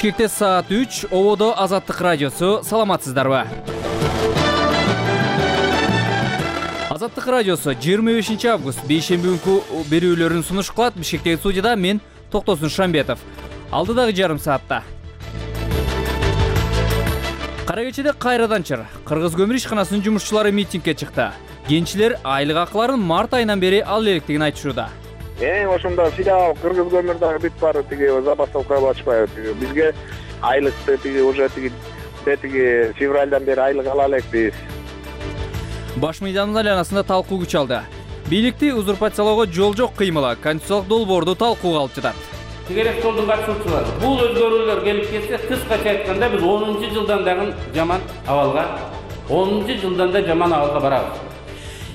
Бишкекте саат 3, Ободо Азаттык радиосу. Саламатсыздарбы? Азаттык радиосу 25 август бейшемби күнкү берүүлөрүн сунуш кылат. Бишкектеги студияда мен Токтосун Шамбетов. Алдыдагы жарым саатта Кара кечеде кайрадан чыр. Кыргыз көмүр ишканасынын жумушчулары митингге чыкты. Кенчилер айлык акыларын март айынан бери ал электигин айтышууда. Ошондо филиал Кыргыз көмүрдөгү бүт баары забастовка ачпайбы. Бизге айлыкты уже февралдан бери айлык ала элекпиз. Баш мыйдандын айланасында талкуу күч алды. Бийликти узурпациялоого жол жок кыймылы конституциялык долбоорду талкууга алып жатат. Тегерек жолдун катышуучулары бул өзгөрүүлөр келип кетсе, кыскача айтканда биз 10-жылдан дагы жаман абалга, 10-жылдан да жаман абалга барабыз.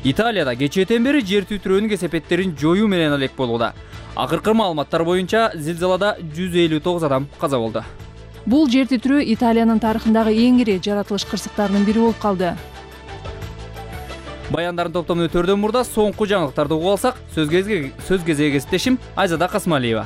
Италияда кечээден бери жер түйтрөөнүн кесепеттерин жоюу менен алек болууда. Акыркы маалыматтар боюнча зилзалада 159 адам каза болду. Бул жер түйтрөө Италиянын тарыхындагы эң ири жаратылыш кырсыктарынын бири болуп калды. Баяндарын топтомун өтөрдөн мурда соңку жаңылыктарды угуп алсак, сөз кезеги кесиптешим Айзада Касмалиева.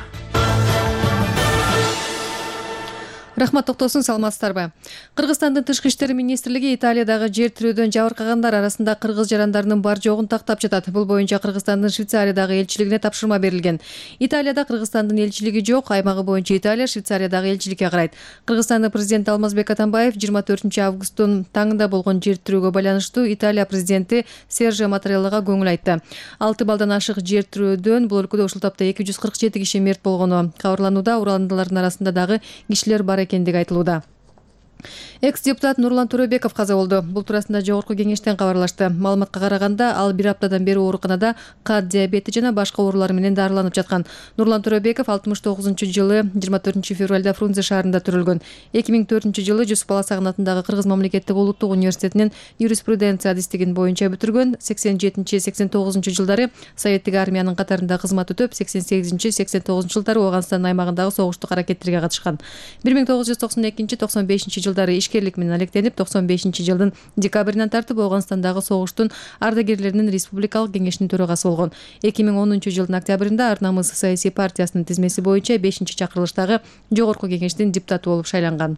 Рахмат, Токтосун, саламатсыздарбы? Кыргызстандын тышкы иштер министрлиги Италиядагы жер тирөөдөн жабыркагандар арасында кыргыз жарандарынын бар жогун тактап жатат. Бул боюнча Кыргызстандын Швейцариядагы элчилигине тапшырма берилген. Италияда Кыргызстандын элчилиги жок, аймагы боюнча Италия Швейцариядагы элчиликке карайт. Кыргызстандын президенти Алмазбек Атамбаев 24-августтун таңында болгон жер тирөөгө байланыштуу Италия президенти Серджо Маттареллага көңүл айтты. 6 балдан ашык жер тирөөдөн бул өлкөдө ушул тапта 247 киши мерт болгону кабарланууда. Ураландылардын арасында дагы кишилер бар экендиги айтылууда. Экс-депутат Нурлан Төрөбеков каза болду. Бул туурасында Жогорку кеңештен кабарлашты. Маалыматка караганда, ал 1 аптадан бери ооруканада кат диабети жана башка оорулар менен дарыланып жаткан. Нурлан Төрөбеков 69-жылы 24-февралда Фрунзе шаарында төрөлгөн. 2004-жылы Жусуп Баласагын атындагы Кыргыз мамлекеттик улуттук университетинин юриспруденция адистигин боюнча бүтүргөн. 87-89-жылдары Советтик армиянын катарында кызмат өтөп, 88-89-жылдары Ооганстандын аймагындагы согуштук аракеттерге катышкан. 1992-95 жылдары ишкерлик менен алектенип, 95-жылдын декабрынан тартып Ооганстандагы согуштун ардагерлеринин республикалык кеңешинин төрагасы болгон. 2010-жылдын октябрында Ар намыс саясий партиясынын тизмеси боюнча 5-чакырылыштагы Жогорку кеңештин депутаты болуп шайланган.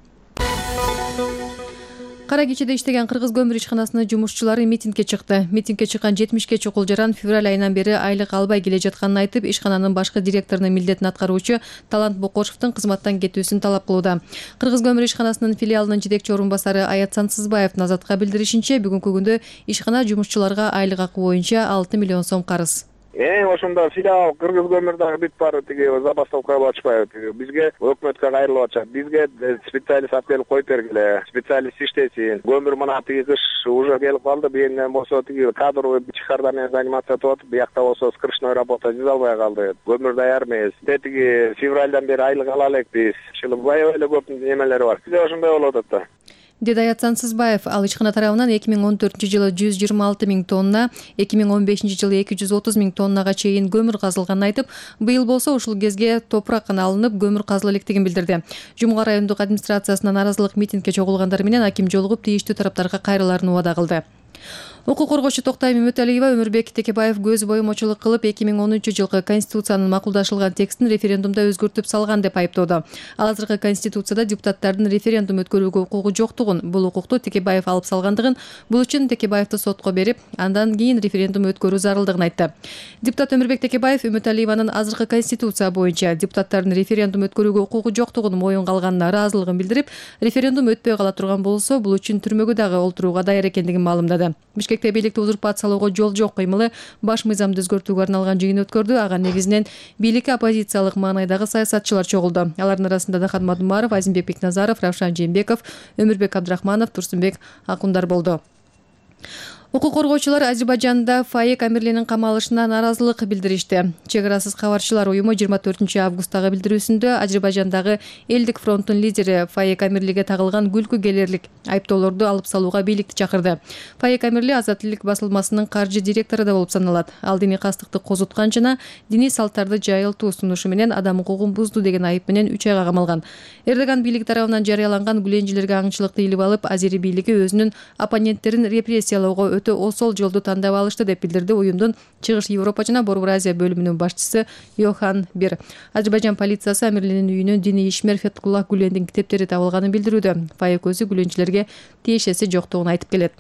Кара кечеде иштеген Кыргыз көмүр ишканасынын жумушчулары митингге чыкты. Митингге чыккан 70 чокул жаран февраль айынан бери айлык албай келе жатканын айтып, ишкананын башкы директорунун милдетин аткаруучу Талант Бокошевдун кызматтан кетүүсүн талап кылууда. Кыргыз көмүр ишканасынын филиалынын жетекчи орун басары Аят Сансызбаевдин Азатка билдиришинче, бүгүнкү күндө ишкана жумушчуларга айлык акы боюнча 6 миллион сом карыз. Ошондо филиал Кыргыз көмүрдөгү бүт баары забастовка ачпайбы. Бизге өкмөткө кайрылып атышат. Бизге специалист алып келип коюп бергиле. Специалист иштесин. Көмүр мына кыш уже келип калды. Бүйүнөн болсо кадровый чыгарда менен заниматься этип атып, биякта болсо скрышной работа жүзө албай калды. Көмүр даяр эмес. Февралдан бери айлык ала элекпиз. Аябай эле көп немелери бар. Бизде ошондой болуп атат да. Деди Аят Сансызбаев. Ал ишкана тарабынан 2014-жылы 126 миң тонна, 2015-жылы 230 миң тоннага чейин көмүр казылганын айтып, быйыл болсо ушул кезге топурак гана алынып, көмүр казыла электигин билдирди. Жумга райондук администрациясына нааразылык митингге чогулгандар менен аким жолугуп, тийиштүү тараптарга кайрылаарын убада кылды. Укук коргоочу Токтай Мөмөталиева Өмүрбек Текебаев көз боюмочулук кылып 2010-жылкы Конституциянын макулдашылган текстин референдумда өзгөртүп салган деп айыптоодо. Ал азыркы Конституцияда депутаттардын референдум өткөрүүгө укугу жоктугун, бул укукту Текебаев алып салгандыгын, бул үчүн Текебаевди сотко берип, андан кийин референдум өткөрүү зарылдыгын айтты. Депутат Өмүрбек Текебаев Мөмөталиеванын азыркы Конституция боюнча депутаттардын референдум өткөрүүгө укугу жоктугун моюнга алганына ыраазылыгын билдирип, референдум өтпөй кала турган болсо, бул үчүн түрмөгө дагы олтурууга даяр экендигин маалымдады. Бишкекте бийликти узурпациялоого жол жок кыймылы баш мыйзамды өзгөртүүгө арналган жыйын өткөрдү. Ага негизинен бийликке оппозициялык маанайдагы саясатчылар чогулду. Алардын арасында Дахат Мадумаров, Азимбек Бекназаров, Равшан Жээнбеков, Өмүрбек Абдрахманов, Турсунбек Акундар болду. Укук коргоочулар Азербайжанда Фаек Амирлинин камалышына нааразылык билдиришти. Чек арасыз кабарчылар уюму 24-августтагы билдирүүсүндө Азербайжандагы Элдик фронтунун лидери Фаек Амирлиге тагылган күлкү келерлик айыптоолорду алып салууга бийликти чакырды. Фаек Амирли Азат элек басылмасынын каржы директору да болуп саналат. Ал диний кастыкты козуткан жана диний салттарды жайылтуу сунушу менен адам укугун бузду деген айып менен 3 айга камалган. Эрдоган бийлиги тарабынан жарыяланган гүленжилерге аңчылыкты илип алып, Азери бийлиги өзүнүн оппоненттерин репрессиялоого өтө осол жолду тандап алышты деп билдирди уюмдун Чыгыш Европа жана Борбор Азия бөлүмүнүн башчысы Йохан Бир. Азербайжан полициясы Амирлинин үйүнөн диний ишмер Фетхуллах Гүлендин китептери табылганын билдирүүдө. Фаек өзү Гүленчилерге тиешеси жоктугун айтып келет.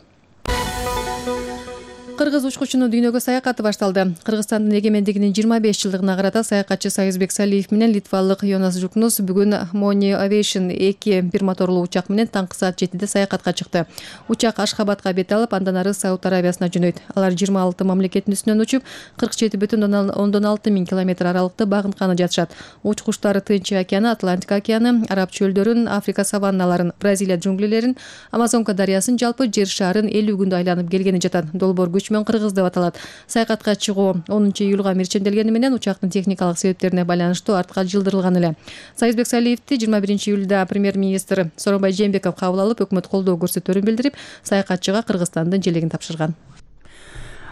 Кыргыз учкучунун дүйнөгө саякаты башталды. Кыргызстандын эгемендигинин 25 жылдыгына карата саякатчы Сайызбек Салиев менен литвалык Йонас Жукнус бүгүн Moni Aviation 2 бир моторлуу учак менен таңкы саат 7-де саякатка чыкты. Учак Ашхабадка бет алып, андан ары Сауд Арабиясына жөнөйт. Алар 26 мамлекеттин үстүнөн учуп, 47,6 миң километр аралыкты багынтканы жатышат. Учкучтар Тынч океаны, Атлантика океаны, Араб чөлдөрүн, Африка саванналарын, Бразилия джунглилерин, Амазонка дарыясын, жалпы жер шарын 50 күндө айланып келгени жатат. Долбоор күч менен Кыргыз деп аталат. Саякатка чыгуу 10 июлга мирчемделгени менен учактын техникалык себептерине байланыштуу артка жылдырылган эле. Сайызбек Салиевди 21 июлда премьер-министр Сооронбай Жээнбеков кабыл алып, өкмөт колдоо көрсөтөөрүн билдирип, саякатчыга Кыргызстандын желегин тапшырган.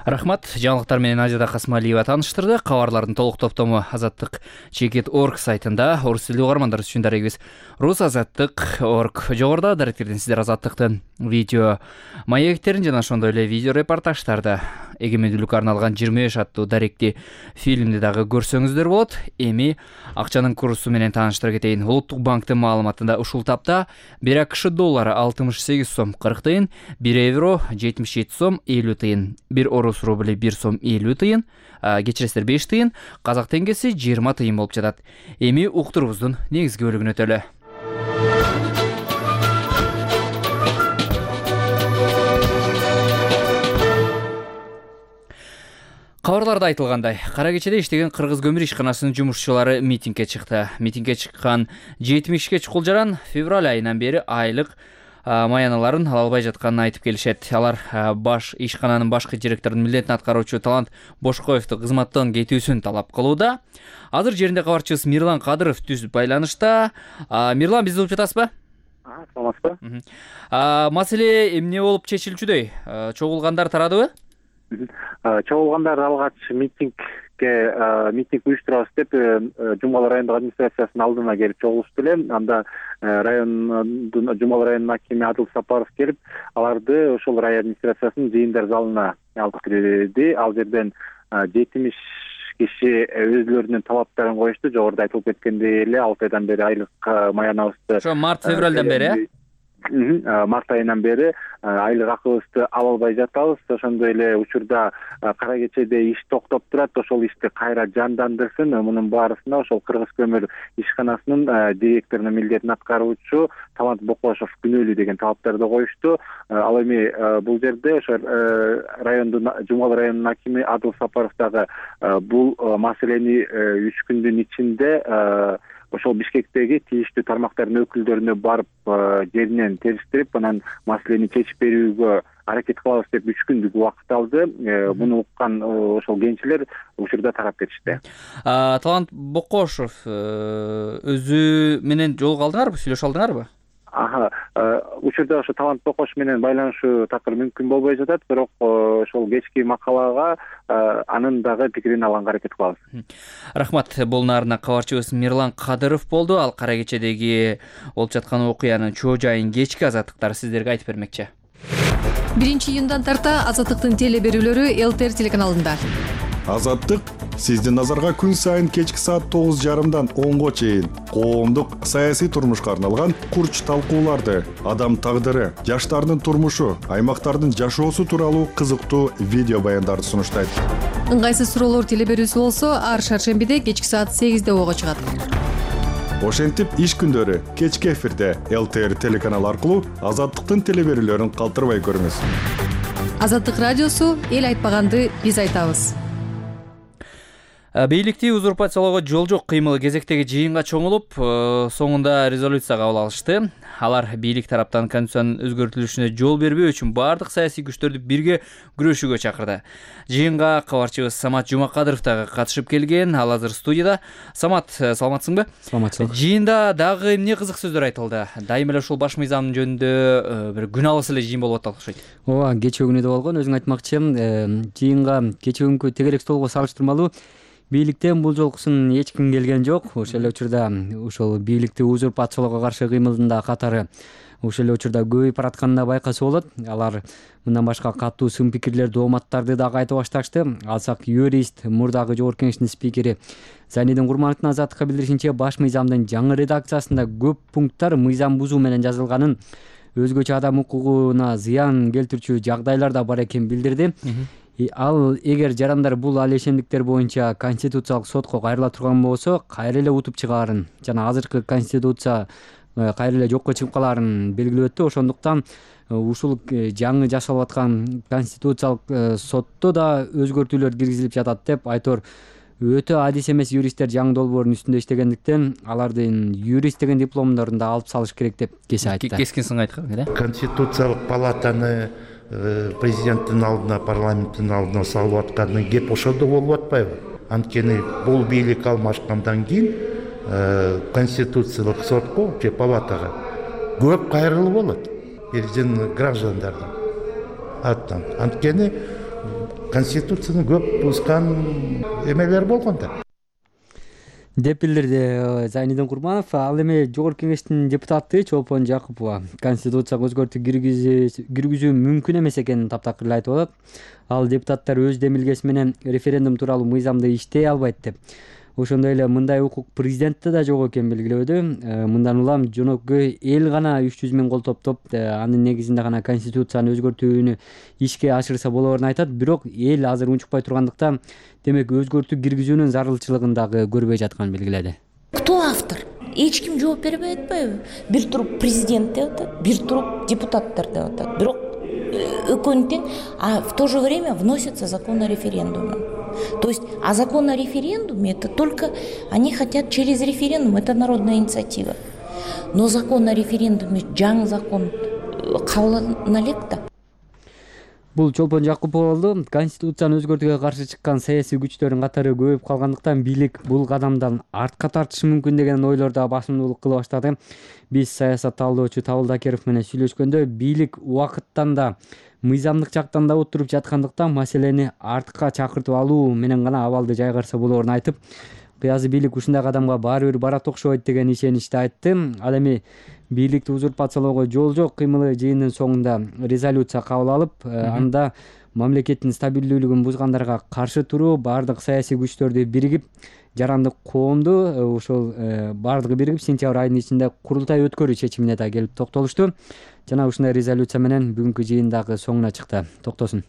Рахмат. Жаңылыктар менен Ажада Касмалиева тааныштырды. Кабарлардын толук топтому Азаттык.org сайтында орус тилдүү угармандар үчүн дарегибиз rusazаттык.org. Жогоруда даректерден сиздер Азаттыктын видео маектерин жана ошондой эле видео репортаждарды эгемендүүлүккө арналган 25 аттуу даректи фильмди дагы көрсөңүздөр болот. Эми акчанын курсу менен тааныштыра кетейин. Улуттук банктын маалыматында ушул тапта 1 АКШ доллары 68 сом 40 тыйын, 1 евро 77 сом 50 тыйын, 1 орус рубли 1 сом 50 тыйын, кечиресиздер 5 тыйын, казак теңгеси 20 тыйын болуп жатат. Эми уктурубуздун негизги бөлүгүнө өтөлү. Кабарларда айтылгандай, кара кечеде иштеген Кыргыз көмүр ишканасынын жумушчулары митингге чыкты. Митингге чыккан 70 чукул жаран февраль айынан бери айлык маяналарын ала албай жатканын айтып келишет. Алар баш ишкананын башкы директорунун милдетин аткаруучу Талант Бошкоевду кызматтан кетүүсүн талап кылууда. Азыр жеринде кабарчыбыз Мирлан Кадыров түз байланышта. Мирлан, бизди угуп жатасызбы? Саламатсызбы? Маселе эмне болуп чечилчүдөй? Чогулгандар тарадыбы? Чогулгандар алгач митинг уюштурабыз деп Жумалы райондук администрациясынын алдына келип чогулушту эле. Анда Жумалы районунун акими Адыл Сапаров келип, аларды ошол район администрациясынын жыйындар залына алып кирди. Ал жерден 70 киши өзлөрүнүн талаптарын коюшту. Жогоруда айтылып кеткендей эле 6 айдан бери айлык маянабызды, ошо март-февралдан бери, март айынан бери айлык акыбызды ала албай жатабыз. Ошондой эле учурда кара кечеде иш токтоп турат. Ошол ишти кайра жандандырсын. Мунун баарысына ошол Кыргыз көмүр ишканасынын директорунун милдетин аткаруучу Талант Бокошов күнөөлүү деген талаптарды коюшту. Ал эми бул жерде ошо райондун Жумалы районунун акими Адыл Сапаров дагы бул маселени 3 күндүн ичинде ошол Бишкектеги тийиштүү тармактардын өкүлдөрүнө барып жеринен териштирип, анан маселени чечип берүүгө аракет кылабыз деп 3 күндүк убакыт алды. Муну уккан ошол кенчилер учурда тарап кетишти. Талант Бокошов өзү менен жолуга алдыңарбы, сүйлөшө алдыңарбы? Учурда ошо Талант Бокош менен байланышуу такыр мүмкүн болбой жатат, бирок ошол кечки макалага анын дагы пикирин алганга аракет кылабыз. Рахмат. Бул нарына кабарчыбыз Мирлан Кадыров болду. Ал кара кечедеги болуп жаткан окуянын чоо жайын кечки Азаттыктар сиздерге айтып бермекчи. 1 июндан тарта Азаттыктын теле берүүлөрү ЛТР телеканалында. Азаттык сиздин назарга күн сайын кечки саат 9:30дан 10го чейин коомдук саясий турмушка арналган курч талкууларды, адам тагдыры, жаштардын турмушу, аймактардын жашоосу тууралуу кызыктуу видео баяндарды сунуштайт. Ыңгайсыз суроолор теле берүүсү болсо, ар шаршембиде кечки саат 8де ого чыгат. Ошентип иш күндөрү кечки эфирде ЛТР телеканалы аркылуу Азаттыктын теле берүүлөрүн калтырбай көрүңүз. Азаттык радиосу эл айтпаганды биз айтабыз. Бийликти узурпациялоого жол жок кыймыл кезектеги жыйынга чоңулуп, соңунда резолюция кабыл алышты. Алар бийлик тараптан конституциянын өзгөртүлүшүнө жол бербөө үчүн бардык саясий күчтөрдү бирге күрөшүүгө чакырды. Жыйынга кабарчыбыз Самат Жумакадыров дагы катышып келген. Ал азыр студияда. Самат, саламатсыңбы? Саламатсыз. Жыйында дагы эмне кызык сөздөр айтылды? Дайыма эле ушул баш мыйзам жөнүндө бир күн алыс эле жыйын болуп атат окшойт. Ооба, кечээ күнү да болгон. Өзүң айтмакчы, жыйынга кечээ күнкү тегерек столго салыштырмалуу бийликтен бул жолкусун эч ким келген жок. Ошол эле учурда ушул бийликти узурпациялоого каршы кыймылдын да катары ошол эле учурда көбөйүп баратканын да байкаса болот. Алар мындан башка катуу сын пикирлер, дооматтарды дагы айта башташты. Алсак юрист, мурдагы жогорку кеңештин спикери Зайнидин Курмановдун Азаттыкка билдиришинче, баш мыйзамдын жаңы редакциясында көп пункттар мыйзам бузуу менен жазылганын, өзгөчө адам укугуна зыян келтирүүчү жагдайлар да бар экенин билдирди. Ал эгер жарандар бул ал ишемдиктер боюнча Конституциялык сотко кайрыла турган болсо, кайра эле утуп чыгаарын жана азыркы Конституция кайра эле жокко чыгып калаарын белгилеп өттү. Ошондуктан ушул жаңы жасалып аткан Конституциялык сотто да өзгөртүүлөр киргизилип жатат деп Айтор өтө адис эмес юристтер жаңы долбоордун үстүндө иштегендиктен алардын юрист деген дипломдорун да алып салыш керек деп кесе айтты. Кескин сын айткан. Конституциялык палатаны президенттин алдына, парламенттин алдына салып атканы кеп ошондо болуп атпайбы? Анткени бул бийлик алмашкандан кийин Конституциялык сотко же палатага көп кайрылуу болот биздин граждандардын аттан. Анткени Конституцияны көп бузган эмелер болгон да деп билдирди Зайнидин Курманов. Ал эми жогорку кеңештин депутаты Чолпон Жакупова Конституцияга өзгөртүү киргизүү мүмкүн эмес экенин таптакыр айтып атат. Ал депутаттар өз демилгеси менен референдум тууралуу мыйзамды иштей албайт деп. Ошондой эле мындай укук президентте да жок экенин белгилөөдө. Мындан улам жөнөкөй эл гана 300 миң кол топтоп, анын негизинде гана Конституцияны өзгөртүүнү ишке ашырса болоорун айтат. Бирок эл азыр унчукпай тургандыктан, демек өзгөртүү киргизүүнүн зарылчылыгын дагы көрбөй жатканын белгиледи. Кто автор? Эч ким жооп бербей атпайбы? Бир туруп президент деп атат, бир туруп депутаттар деп атат. Бирок экөөнү тең, а в то же время вносится закон о референдуме. То есть, а закон о референдуме, это только они хотят через референдум, это народная инициатива. Но закон о референдуме, жаңы закон кабыл элек да. Бул Чолпон Жакупов болду. Конституцияны өзгөртүүгө каршы чыккан саясий күчтөрдүн катары көбөйүп калгандыктан бийлик бул кадамдан артка тартышы мүмкүн деген ойлорду басымдуулук кыла баштады. Биз саясат талдоочу Табыл Дакеров менен сүйлөшкөндө бийлик убакыттан да мыйзамдык жактан да отуруп жаткандыктан маселени артка чакыртып алуу менен гана абалды жайгарса болоорун айтып, кыязы бийлик ушундай кадамга баары бир барат окшойт деген ишеничти айтты. Ал эми бийликти узурпациялоого жол жок кыймылы жыйындын соңунда резолюция кабыл алып, анда мамлекеттин стабилдүүлүгүн бузгандарга каршы туруу баардык саясий күчтөрдү биригип, жарандык коомду ошол баардыгы биригип сентябрь айынын ичинде курултай өткөрүү чечимине да келип токтолушту. Жана ушундай резолюция менен бүгүнкү жыйындагы соңуна чыкты. Токтосун.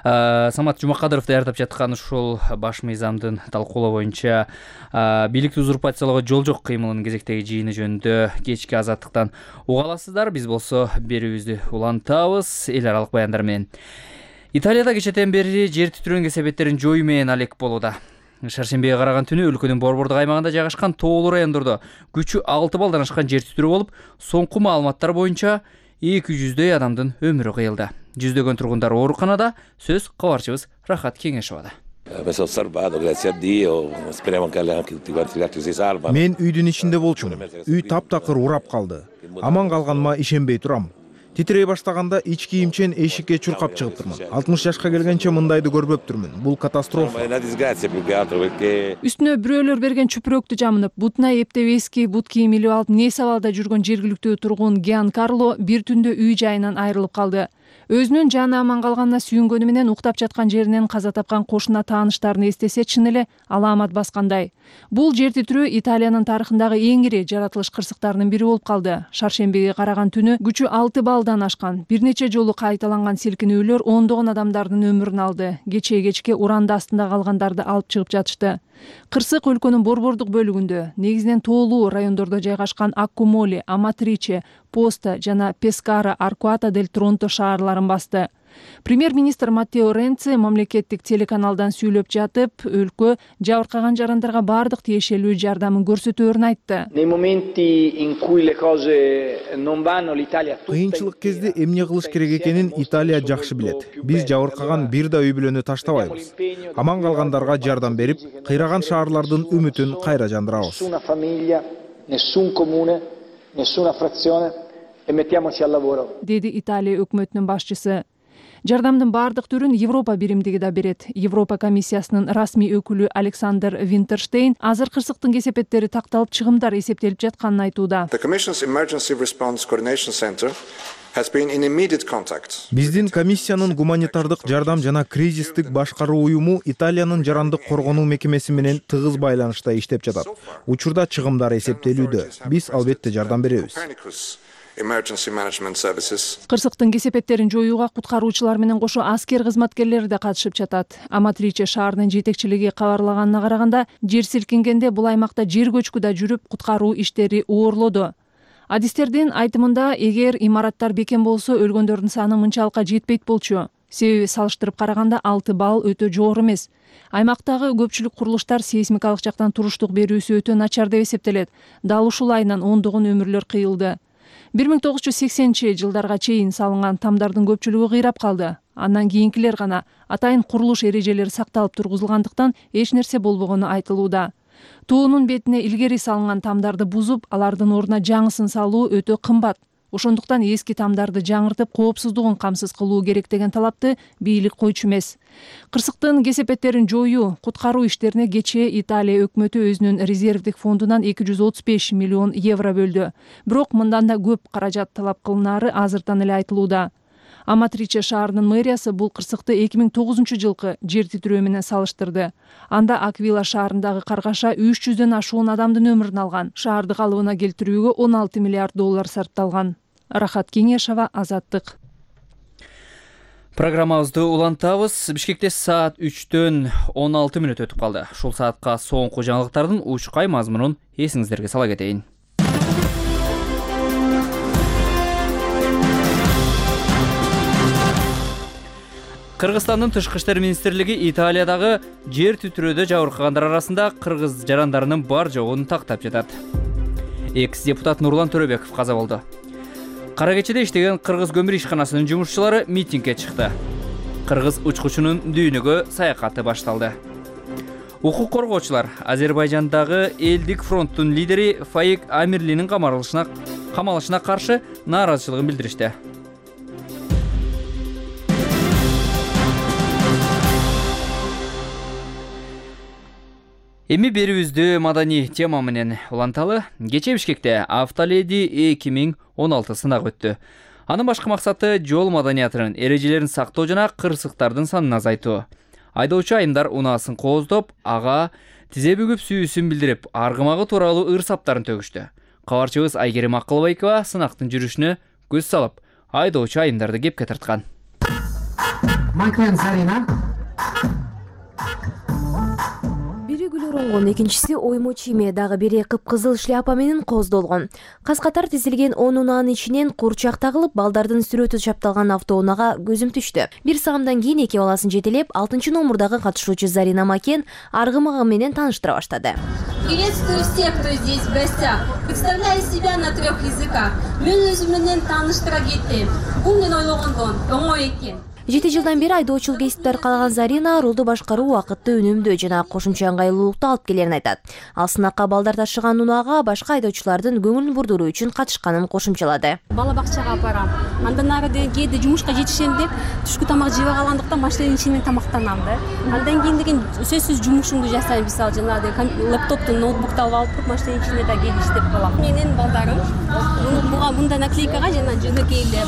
Самат Жумакадыров даярдап жаткан ушул баш мыйзамдын талкуулоо боюнча бийликти узурпациялоого жол жок кыймылынын кезектеги жыйыны жөнүндө кечки Азаттыктан уга аласыздар. Биз болсо берүүбүздү улантабыз эл аралык баяндар менен. Италияда кечэтен бери жер титирөөнүн кесепеттерин жоюу менен алек болууда. Шаршембиге караган түнү өлкөнүн борбордук аймагында жайгашкан тоолуу райондордо күчү 6 балдан ашкан жер титирөө болуп, соңку маалыматтар боюнча 200дөй адамдын өмүрү кыйылды. Жүздөгөн тургундар ооруканада. Сөз кабарчыбыз Рахат Кеңешовада. Мен үйдүн ичинде болчумун. Үй таптакыр урап калды. Аман калганыма ишенбей турам. Титирей баштаганда ич кийимчен эшикке чуркап чыгыптырмын. 60 жашка келгенче мындайды көрбөптүрмүн. Бул катастрофа. Үстүнө бирөөлөр берген чүпүрөктү жамынып, бутуна эптеп эски бут кийим илип алып, Несабалда жүргөн жергиликтүү тургун Гиан Карло бир түндө үй жайынан айрылып калды. Өзүнүн жаны аман калганына сүйүнгөнү менен уктап жаткан жеринен каза тапкан кошуна тааныштарын эстесе чын эле алаамат баскандай. Бул жер титирөө Италиянын тарыхындагы эң ири жаратылыш кырсыктарынын бири болуп калды. Шаршембиге караган түнү күчү 6 балдан ашкан. Бир нече жолу кайталанган силкинүүлөр ондогон адамдардын өмүрүн алды. Кечке уранды астында калгандарды алып чыгып жатышты. Кырсык өлкөнүн борбордук бөлүгүндө, негизинен тоолуу райондордо жайгашкан Аккумоли, Аматриче, Поста жана Пескара, Аркуата дель Тронто шаарларын басты. Премьер-министр Маттео Ренци мамлекеттик телеканалдан сүйлөп жатып, өлкө жабыркаган жарандарга бардык тиешелүү жардамын көрсөтөөрүн айтты. Кыйынчылык кезде эмне кылыш керек экенин Италия жакшы билет. Биз жабыркаган бир да үй бүлөнү таштабайбыз. Аман калгандарга жардам берип, кыйраган шаарлардын үмүтүн кайра жандырабыз. Деди Италия өкмөтүнүн башчысы. Жардамдын бардык түрүн Европа биримдиги да берет. Европа комиссиясынын расмий өкүлү Александр Винтерштейн азыр кырсыктын кесепеттери такталып, чыгымдар эсептелип жатканын айтууда. Биздин комиссиянын гуманитардык жардам жана кризистик башкаруу уюму Италиянын жарандык коргонуу мекемеси менен тыгыз байланышта иштеп жатат. Учурда чыгымдар эсептелүүдө. Биз албетте жардам беребиз. Кырсыктын кесепеттерин жоюуга куткаруучулар менен кошо аскер кызматкерлери да катышып жатат. Аматриче шаарынын жетекчилиги кабарлаганына караганда, жер силкингенде бул аймакта жер көчкү да жүрүп, куткаруу иштери оорлоду. Адистердин айтымында, эгер имараттар бекем болсо, өлгөндөрдүн саны мынчалыкка жетпейт болчу. Себеби салыштырып караганда 6 балл өтө жогору эмес. Аймактагы көпчүлүк курулуштар сейсмикалык жактан туруштук берүүсү өтө начар деп эсептелет. Дал ушул айынан ондогон өмүрлөр кыйылды. 1980-жылдарга чейин салынган тамдардын көпчүлүгү кыйрап калды. Андан кийинкилер гана атайын курулуш эрежелери сакталып тургузулгандыктан эч нерсе болбогону айтылууда. Туунун бетине илгери салынган тамдарды бузуп, алардын ордуна жаңысын салуу өтө кымбат. Ошондуктан эски тамдарды жаңыртып, коопсуздугун камсыз кылуу керек деген талапты бийлик койчу эмес. Кырсыктын кесепеттерин жоюу, куткаруу иштерине кечээ Италия өкмөтү өзүнүн резервдик фондунан 235 миллион евро бөлдү. Бирок мындан да көп каражат талап кылынары азыртан эле айтылууда. Аматриче шаарынын мэриясы бул кырсыкты 2009-жылкы жер титирөө менен салыштырды. Анда Аквила шаарындагы каргаша 300дөн ашуун адамдын өмүрүн алган. Шаарды калыбына келтирүүгө 16 миллиард доллар сарпталган. Рахат Кеңешова, Азаттык. Программабызды улантабыз. Бишкекте саат 3-төн 16 мүнөт өтүп калды. Ушул саатка соңку жаңылыктардын учкай мазмунун эсиңиздерге сала кетейин. Кыргызстандын тышкы иштер министрлиги Италиядагы жер титирөөдө жабыркагандар арасында кыргыз жарандарынын бар жогун тактап жатат. Экс-депутат Нурлан Төрөбеков каза болду. Кара кечеде иштеген кыргыз көмүр ишканасынын жумушчулары митингге чыкты. Кыргыз учкучунун дүйнөгө саякаты башталды. Укук коргоочулар Азербайжандагы элдик фронттун лидери Фаик Амирлинин камалышына каршы нааразычылыгын билдиришти. Эми берүүбүздү маданий тема менен уланталы. Кечээ Бишкекте Автоледи 2016 сынак өттү. Анын башкы максаты жол маданиятынын эрежелерин сактоо жана кырсыктардын санын азайтуу. Айдоочу айымдар унаасын кооздоп, ага тизе бүгүп сүйүүсүн билдирип, аргымагы тууралуу ыр саптарын төгүштү. Кабарчыбыз Айгерим Акылбайкова сынактын жүрүшүнө көз салып, айдоочу айымдарды кепке тарткан. Оңгон, экинчиси оймо чийме, дагы бири кыпкызыл шляпа менен кооздолгон. Каз-катар тизилген 10 унаанын ичинен курчак тагылып, балдардын сүрөтү чапталган автоунага көзүм түштү. Бир саамдан кийин эки баласын жетелеп, 6-номурдагы катышуучу Зарина Макен аргымагы менен тааныштыра баштады. Приветствую всех, кто здесь в гостях. Представляю себя на 3 языках. Мен өзүм менен тааныштыра кеттим. Бул мен ойлогондон оңой экен. 7 жылдан бери айдоочулук кесипти аркалаган Зарина рулду башкаруу убакытты үнөмдөө жана кошумча ыңгайлуулукту алып келерин айтат. Ал сынакка балдар ташыган унаага башка айдоочулардын көңүлүн бурдуруу үчүн катышканын кошумчалады. Бала бакчага апарам. Андан ары кээде жумушка жетишем деп түшкү тамак жебей калгандыктан машинанын ичинен тамактанам да. Андан кийин деген сөзсүз жумушумду жасайм, мисалы жанагы лаптопту, ноутбукту алып туруп машинанын ичинде да кээде иштеп калам. Менин балдарым мындай наклейкага жана жөнөкөй эле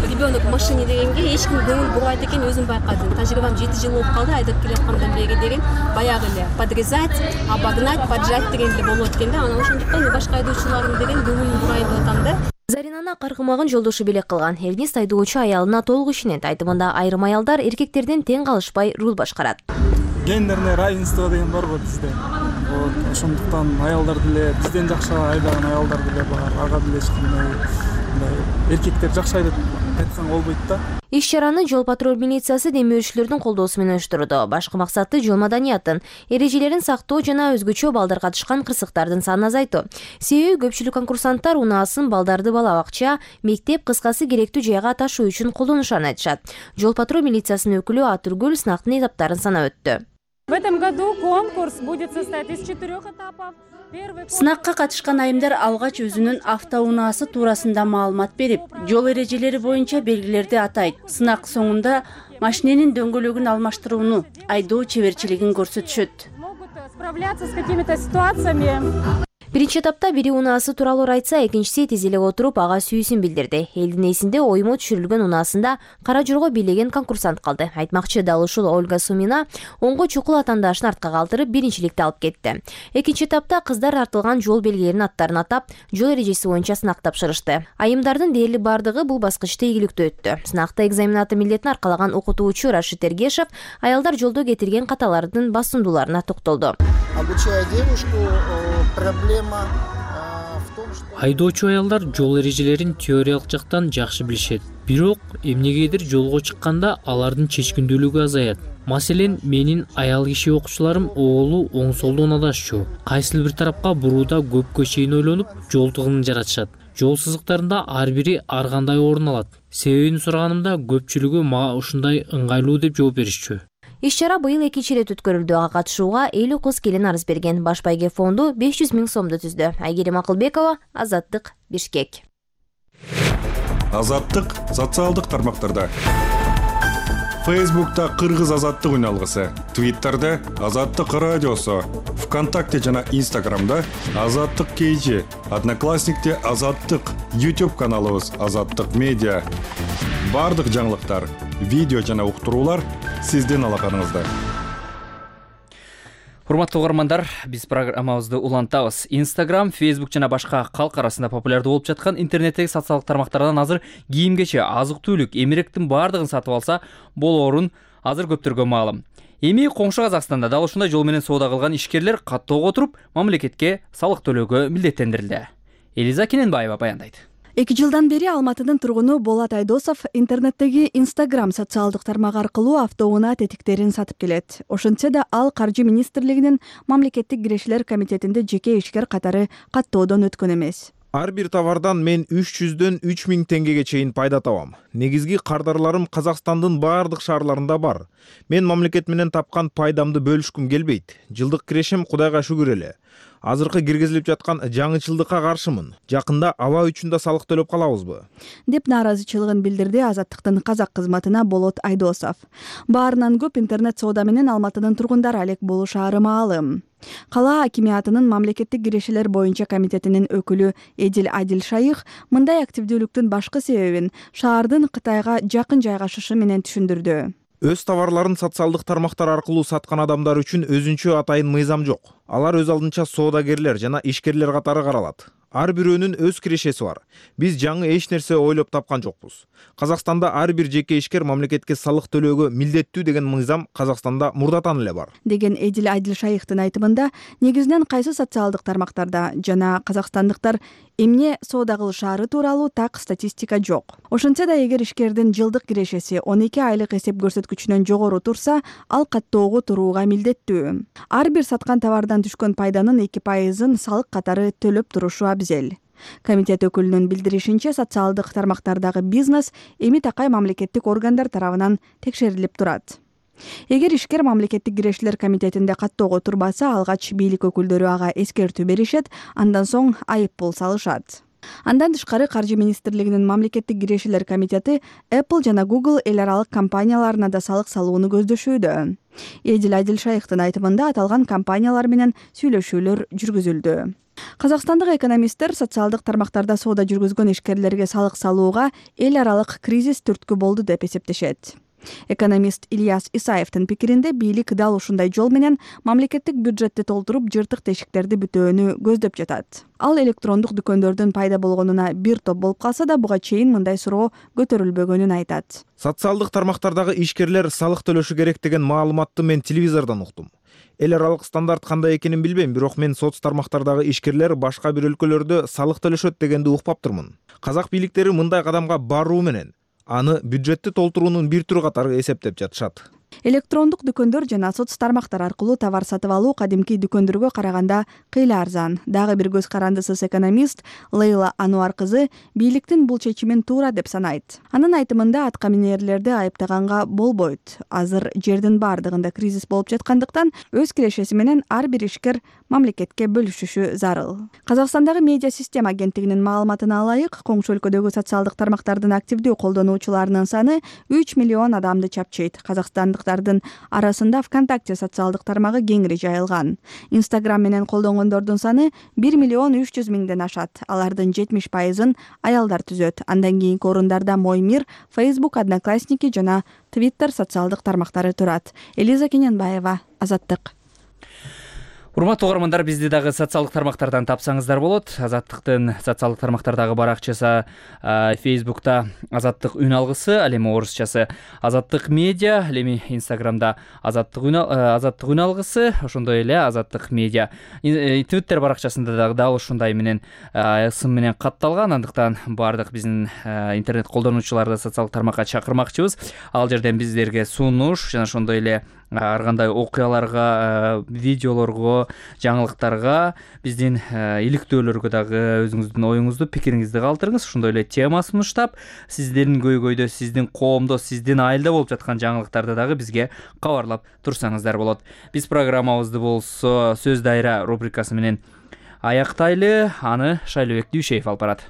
ребенок машине дегенге эч ким көңүл бурбайт экен, өзүм байкадым. Тажрыйбам 7 жыл болуп калды, айдап келаткандан бери деген баягы эле подрезать, обогнать, поджать деген эле болот экен да. Анан ошондуктан башка айдоочуларым деген көңүлүн бурайын деп атам да. Заринаны каргымагын жолдошу белек кылган. Эрнист айдоочу аялына толук ишенет. Айтымында айрым аялдар эркектерден тең калышпай руль башкарат. Гендерное равенство деген бар го бизде. Ошондуктан аялдар деле бизден жакшы айдаган аялдар деле бар. Ага деле эч кандай эркектер жакшы айдап айткан болбойт да. Иш-чараны жол патруль милициясы демөөрчүлөрдүн колдоосу менен уюштурду. Башкы максаты жол маданиятын, эрежелерин сактоо жана өзгөчө балдар катышкан кырсыктардын санын азайтуу. Себеби көпчүлүк конкурсанттар унаасын балдарды бала бакча, мектеп, кыскасы керектүү жайга ташуу үчүн колдонушарын айтышат. Жол патруль милициясынын өкүлү Атургүл сынактын этаптарын санап өттү. В этом году конкурс будет состоять из 4 этапов. Сынакка катышкан айымдар алгач өзүнүн автоунаасы туурасында маалымат берип, жол эрежелери боюнча белгилерди атайт. Сынак соңунда машиненин дөңгөлөгүн алмаштырууну, айдоо чеберчилигин көрсөтүшөт. Справляться с какими-то ситуациями. Биринчи этапта бири унаасы тууралуу айтса, экинчиси тез эле отуруп ага сүйүүсүн билдирди. Элдин эсинде оймо түшүрүлгөн унаасында кара жорго бийлеген конкурсант калды. Айтмакчы дал ушул Ольга Сумина оңго чукул атаандашын артка калтырып биринчиликти алып кетти. Экинчи этапта кыздар тартылган жол белгилеринин аттарын атап, жол эрежеси боюнча сынак тапшырышты. Айымдардын дээрлик бардыгы бул баскычты ийгиликтүү өттү. Сынакта экзаменаты милдетин аркалаган окутуучу Рашид Эргешев аялдар жолдо кетирген каталардын басымдууларына токтолду. Обучая девушку, проблема. Айдоочу аялдар жол эрежелерин теориялык жактан жакшы билишет. Бирок эмнегедир жолго чыкканда алардын чечкиндүүлүгү азаят. Маселен, менин аял киши окуучуларым оолу оң солдон адашчу. Кайсыл бир тарапка бурууда көпкө чейин ойлонуп, жол тыгынын жаратышат. Жол сызыктарында ар бири ар кандай орун алат. Себебин сураганымда көпчүлүгү мага ушундай ыңгайлуу деп жооп беришчү. Иш-чара быйыл экинчи ирет өткөрүлдү. Ага катышууга 50 кыз келин арыз берген. Баш байге фонду 500 000 сомду түздү. Айгерим Акылбекова, Азаттык, Бишкек. Азаттык социалдык тармактарда. Фейсбукта Кыргыз азаттык үналгысы, Твиттерде Азаттык радиосу, ВКонтакте жана Инстаграмда Азаттык KG, Одноклассникте Азаттык, YouTube каналыбыз Азаттык медиа. Бардык жаңылыктар, видео жана уктуруулар сиздин алаканыңызда. Урматтуу угармандар, биз программабызды улантабыз. Instagram, Facebook жана башка калк арасында популярдуу болуп жаткан интернеттеги социалдык тармактардан азыр кийимгече, азык-түлүк, эмеректин бардыгын сатып алса болоорун азыр көптөргө маалым. Эми коңшу Казакстанда дал ушундай жол менен соода кылган ишкерлер каттоого отуруп, мамлекетке салык төлөөгө милдеттендирилди. Элиза Кененбаева баяндайт. 2 жылдан бери Алматынын тургуну Болот Айдосов интернеттеги Instagram социалдык тармагы аркылуу автоунаа тетиктерин сатып келет. Ошентсе да ал Каржы министрлигинин мамлекеттик кирешелер комитетинде жеке ишкер катары каттоодон өткөн эмес. Ар бир товардан мен 300дөн 3000 теңгеге чейин пайда табам. Негизги кардарларым Казакстандын бардык шаарларында бар. Мен мамлекет менен тапкан пайдамды бөлүшкүм келбейт. Жылдык кирешим Кудайга шүгүр эле. Азыркы киргизилип жаткан жаңычылдыкка каршымын. Жакында аба үчүн да салык төлөп калабызбы? Деп нааразычылыгын билдирди Азаттыктын казак кызматына Болот Айдосов. Баарынан көп интернет соода менен Алматынын тургундары алек болушаары маалым. Кала акимиятынын мамлекеттик кирешелер боюнча комитетинин өкүлү Эдил Адил Шайых мындай активдүүлүктүн башкы себебин шаардын Кытайга жакын жайгашышы менен түшүндүрдү. Өз товарларын социалдык тармактар аркылуу саткан адамдар үчүн өзүнчө атайын мыйзам жок. Алар өз алдынча соодагерлер жана ишкерлер катары каралат. Ар бирөөнүн өз кирешеси бар. Биз жаңы эч нерсе ойлоп тапкан жокпуз. Казакстанда ар бир жеке ишкер мамлекетке салык төлөөгө милдеттүү деген мыйзам Казакстанда мурдатан эле бар. Деген Эдил Адил Шайыктын айтымында, негизинен кайсы социалдык тармактарда жана казакстандыктар эмне соода кылышаары тууралуу так статистика жок. Ошентсе да эгер ишкердин жылдык кирешеси 12 айлык эсеп көрсөткүчүнөн жогору турса, ал каттоого турууга милдеттүү. Ар бир саткан товардан түшкөн пайданын 2%-ын салык катары төлөп турушу абзел. Комитет өкүлүнүн билдиришинче, социалдык тармактардагы бизнес эми такай мамлекеттик органдар тарабынан текшерилип турат. Эгер ишкер мамлекеттик кирешелер комитетинде каттоого турбаса, алгач бийлик өкүлдөрү ага эскертүү беришет, андан соң айып пул салышат. Андан тышкары Каржы министрлигинин мамлекеттик кирешелер комитети Apple жана Google эл аралык компанияларына да салык салууну көздөшүүдө. Эдил Адил Шайыктын айтымында аталган компаниялар менен сүйлөшүүлөр жүргүзүлдү. Казакстандык экономисттер социалдык тармактарда соода жүргүзгөн ишкерлерге салык салууга эл аралык кризис түрткү болду деп эсептешет. Экономист Ильяс Исаевдин пикиринде, бийлик дал ушундай жол менен мамлекеттик бюджетти толтуруп, жыртык тешиктерди бүтөөнү көздөп жатат. Ал электрондук дүкөндөрдүн пайда болгонуна бир топ болуп калса да, буга чейин мындай суроо көтөрүлбөгөнүн айтат. Социалдык тармактардагы ишкерлер салык төлөшү керек деген маалыматты мен телевизордон уктум. Эл аралык стандарт кандай экенин билбейм, бирок мен соц тармактардагы ишкерлер башка бир өлкөлөрдө салык төлөшөт дегенди укпаптырмын. Казак бийликтери мындай кадамга баруу менен аны бюджетти толтуруунун бир түрү катары эсептеп жатышат. электрондук дүкөндөр жана соц тармактар аркылуу товар сатып алуу кадимки дүкөндөргө караганда кыйла арзан. Дагы бир көз карандысыз экономист Лейла Ануар кызы бийликтин бул чечимин туура деп санайт. Анын айтымында атка минерлерди айыптаганга болбойт. Азыр жердин баардыгында кризис болуп жаткандыктан өз кирешеси менен ар бир ишкер мамлекетке бөлүшүшү зарыл. Казакстандагы медиа система агенттигинин маалыматына ылайык, коңшу өлкөдөгү социалдык тармактардын активдүү колдонуучуларынын саны 3 миллион адамды чапчыйт. Казакстандыктардын арасында ВКонтакте социалдык тармагы кеңири жайылган. Инстаграм менен колдонгондордун саны 1 миллион 300 миңден ашат. Алардын 70%-ын аялдар түзөт. Андан кийинки орундарда Моймир, Facebook, Одноклассники жана Twitter социалдык тармактары турат. Элиза Кененбаева, Азаттык. Урматтуу угармандар, бизди дагы социалдык тармактардан тапсаңыздар болот. Азаттыктын социалдык тармактардагы баракчасы Facebook'та Азаттык үн алгысы, ал эми орусчасы Азаттык медиа, ал эми Instagram'да Азаттык үн алгысы, ошондой эле Азаттык медиа. Twitter баракчасында дагы дал ушундай менен ысым менен катталган. Андыктан бардык биздин интернет колдонуучуларды социалдык тармакка чакырмакчыбыз. Ал жерден биздерге сунуш жана ошондой эле ар кандай окуяларга, видеолорго, жаңылыктарга, биздин иликтөөлөргө дагы өзүңүздүн оюңузду, пикириңизди калтырыңыз. Ошондой эле тема сунуштап, сиздердин көйгөйдө, сиздин коомдо, сиздин айылда болуп жаткан жаңылыктарды дагы бизге кабарлап турсаңыздар болот. Биз программабызды болсо сөз дайра рубрикасы менен аяктайлы. Аны Шайлообек Дүйшеев алып барат.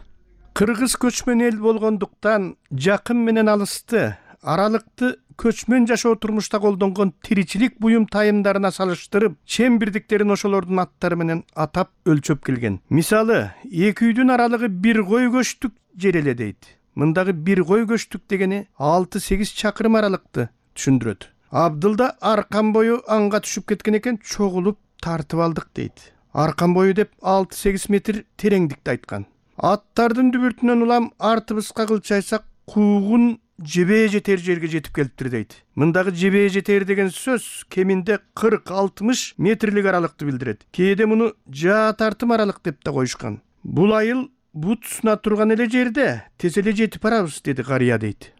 Кыргыз көчмөн эл болгондуктан жакын менен алысты, аралыкты көчмөн жашоо турмушта колдонгон тиричилик буюм тайымдарына салыштырып, чем бирдиктерин ошолордун аттары менен атап өлчөп келген. Мисалы, эки үйдүн аралыгы бир кой көчтүк жер эле дейт. Мындагы бир кой көчтүк дегени 6-8 чакырым аралыкты түшүндүрөт. Абдылда аркан бою анга түшүп кеткен экен, чогулуп тартып алдык дейт. Аркан бою деп 6-8 метр тереңдикти айткан. Аттардын дүбүртүнөн улам артыбызга кылчайсак, куугун жебе жетер жерге жетип келиптир дейт. Мындагы жебе жетер деген сөз кеминде 40-60 метрлик аралыкты билдирет. Кээде муну жаа тартым аралык деп да коюшкан. Бул айыл бут суна турган эле жерде тез эле жетип барабыз, деди карыя дейт.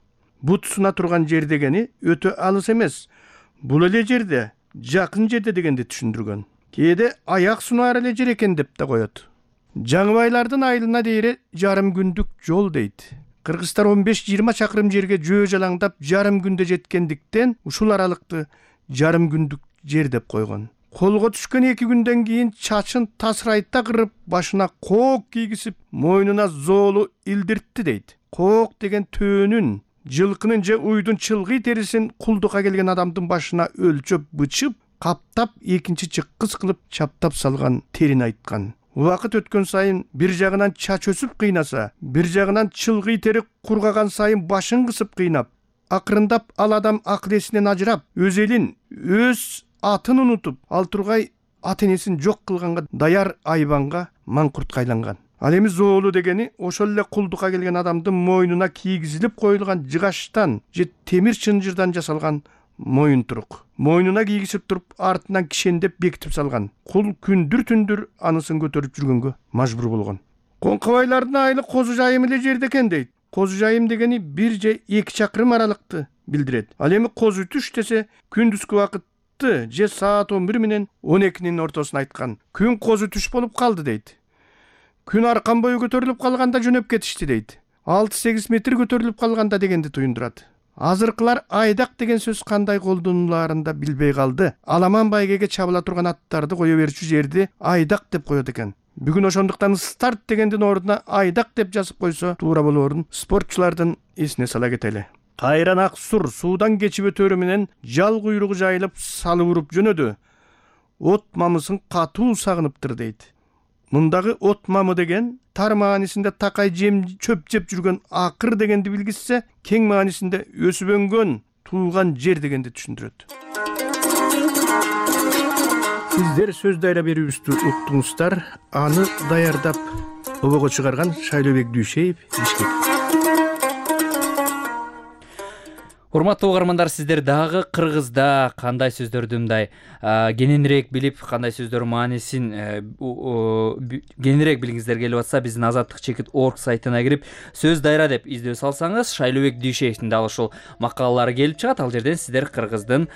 Бут суна турган жер дегени өтө алыс эмес. Бул эле жерде, жакын жерде дегенди түшүндүргөн. Кээде аяк сунаар эле жер экен деп да коет. Жаңыбайлардын айылына дейре жарым күндүк жол дейт. Кыргыздар 15-20 чакырым жерге жөө жалаңдап жарым күндө жеткендиктен ушул аралыкты жарым күндүк жер деп койгон. Колго түшкөн 2 күндөн кийин чачын тасырайта кырып, башына коок кийгизип, мойнуна зоолу илдиртти дейт. Коок деген төөнүн, жылкынын же уйдун чылгый терисин кулдукка келген адамдын башына өлчөп бычып, каптап, экинчи чыккыс кылып чаптап салган терин айткан. Убакыт өткөн сайын бир жагынан чач өсүп кыйнаса, бир жагынан чылгый тери кургаган сайын башын кысып кыйнап, акырындап ал адам акыл эсинен ажырап, өз элин, өз атын унутуп, ал тургай ата-энесин жок кылганга даяр айбанга маңкуртка айланган. Ал эми зоолу дегени ошол эле кулдукка келген адамдын мойнуна кийгизилип коюлган жыгачтан же темир чынжырдан жасалган моюн турук. Мойнуна кийгизип туруп, артынан кишендеп бекитип салган. Кул күндүр-түндүр анысын көтөрүп жүргөнгө мажбур болгон. Коңкобайлардын айылы Козу Жайым эле жерде экен дейт. Козу Жайым дегени 1 же 2 чакырым аралыкты билдирет. Ал эми Козу түш десе, күндүзгү убакытты же саат 11 менен 12-нин ортосун айткан. Күн Козу түш болуп калды дейт. Күн аркан бою көтөрүлүп калганда жөнөп кетишти дейт. 6-8 метр көтөрүлүп калганда дегенди туюндурат. Азыркылар айдак деген сөз кандай колдонуларын да билбей калды. Аламан байгеге чабыла турган аттарды кое берчү жерди айдак деп коет экен. Бүгүн ошондуктан старт дегендин ордуна айдак деп жазып койсо туура болоорун спортчулардын эсине сала кетели. Кайран ак сур суудан кечип өтөрү менен жал куйругу жайылып салып уруп жөнөдү. От мамысын катуу сагыныптыр дейт. Мындагы от мамы деген тар маанисинде такай жем чөп жеп жүргөн акыр дегенди билгизсе, кең маанисинде өсүп өнгөн туулган жер дегенди түшүндүрөт. Сиздер сөз дайра берүүбүздү уктуңуздар. Аны даярдап обого чыгарган Шайлообек Дүйшеев, Бишкек. Урматтуу угармандар, сиздер дагы кыргызда кандай сөздөрдү мындай кененирээк билип, кандай сөздөр маанисин кененирээк билгиңиздер келип атса, биздин azatlyk.org сайтына кирип сөз дайра деп издөө салсаңыз, Шайлообек Дүйшеевдин дагы ушул макалалары келип чыгат. Ал жерден сиздер кыргыздын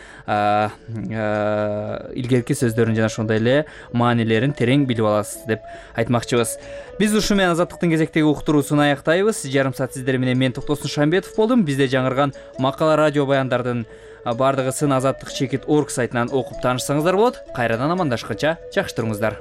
илгерки сөздөрүн жана ошондой эле маанилерин терең билип аласыз деп айтмакчыбыз. Биз ушу менен Азаттыктын кезектеги уктуруусун аяктайбыз. Жарым саат сиздер менен мен Токтосун Шамбетов болдум. Бизде жаңырган макала радио баяндардын бардыгысын azatlyk.org сайтынан окуп таанышсаңыздар болот. Кайрадан амандашканча жакшы туруңуздар.